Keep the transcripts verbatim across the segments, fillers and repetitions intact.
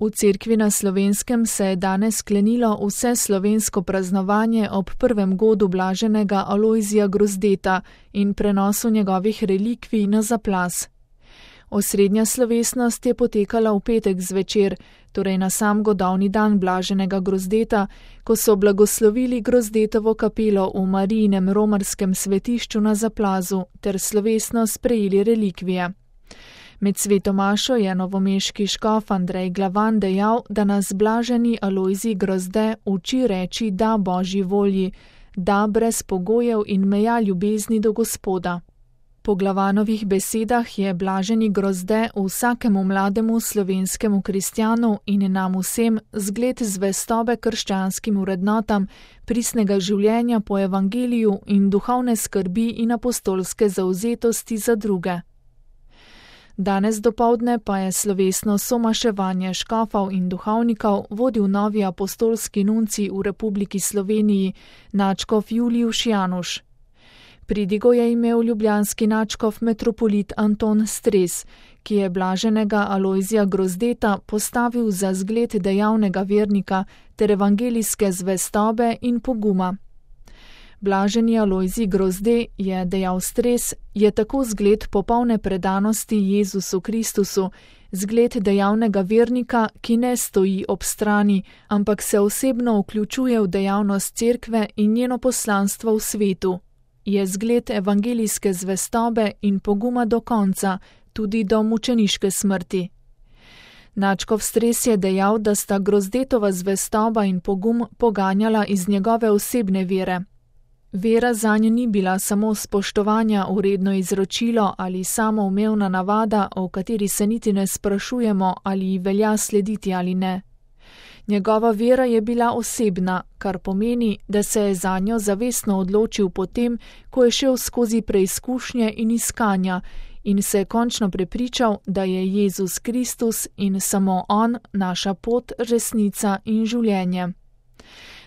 V cerkvi na Slovenskem se je danes sklenilo vse slovensko praznovanje ob prvem godu blaženega Alojzija Grozdeta in prenosu njegovih relikvij na Zaplas. Osrednja slovesnost je potekala v petek zvečer, torej na sam godovni dan blaženega Grozdeta, ko so blagoslovili Grozdetovo kapelo v Marijinem romarskem svetišču na Zaplazu ter slovesno sprejeli relikvije. Med sveto mašo je novomeški škof Andrej Glavan dejal, da nas blaženi Alojzij Grozde uči reči da Božji volji, da brez pogojev in meja ljubezni do Gospoda. Po Glavanovih besedah je blaženi Grozde vsakemu mlademu slovenskemu kristjanu in nam vsem zgled zvestobe krščanskim vrednotam, pristnega življenja po evangeliju in duhovne skrbi in apostolske zavzetosti za druge. Danes dopoldne pa je slovesno somaševanje škofov in duhovnikov vodil novi apostolski nuncij v Republiki Sloveniji, nadškof Julijuš Januš. Pridigo je imel ljubljanski nadškof metropolit Anton Stres, ki je blaženega Alojzija Grozdeta postavil za zgled dejavnega vernika ter evangelijske zvestobe in poguma. Blaženi Alojzij Grozde, je dejal Stres, je tako zgled popolne predanosti Jezusu Kristusu, zgled dejavnega vernika, ki ne stoji ob strani, ampak se osebno vključuje v dejavnost cerkve in njeno poslanstvo v svetu. Je zgled evangelijske zvestobe in poguma do konca, tudi do mučeniške smrti. Nadškof Stres je dejal, da sta Grozdetova zvestoba in pogum poganjala iz njegove osebne vere. Vera zanj ni bila samo spoštovanja uredno izročilo ali samoumevna navada, o kateri se niti ne sprašujemo, ali ji velja slediti ali ne. Njegova vera je bila osebna, kar pomeni, da se je zanjo zavestno odločil potem, ko je šel skozi preizkušnje in iskanja in se je končno prepričal, da je Jezus Kristus in samo On naša pot, resnica in življenje.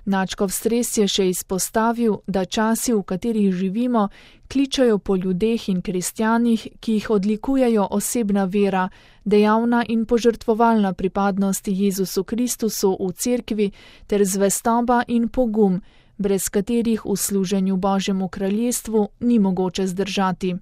Nadškof Stres je še izpostavil, da časi, v katerih živimo, kličajo po ljudeh in kristjanih, ki jih odlikujejo osebna vera, dejavna in požrtvovalna pripadnost Jezusu Kristusu v cerkvi ter zvestoba in pogum, brez katerih v služenju Božjemu kraljestvu ni mogoče zdržati.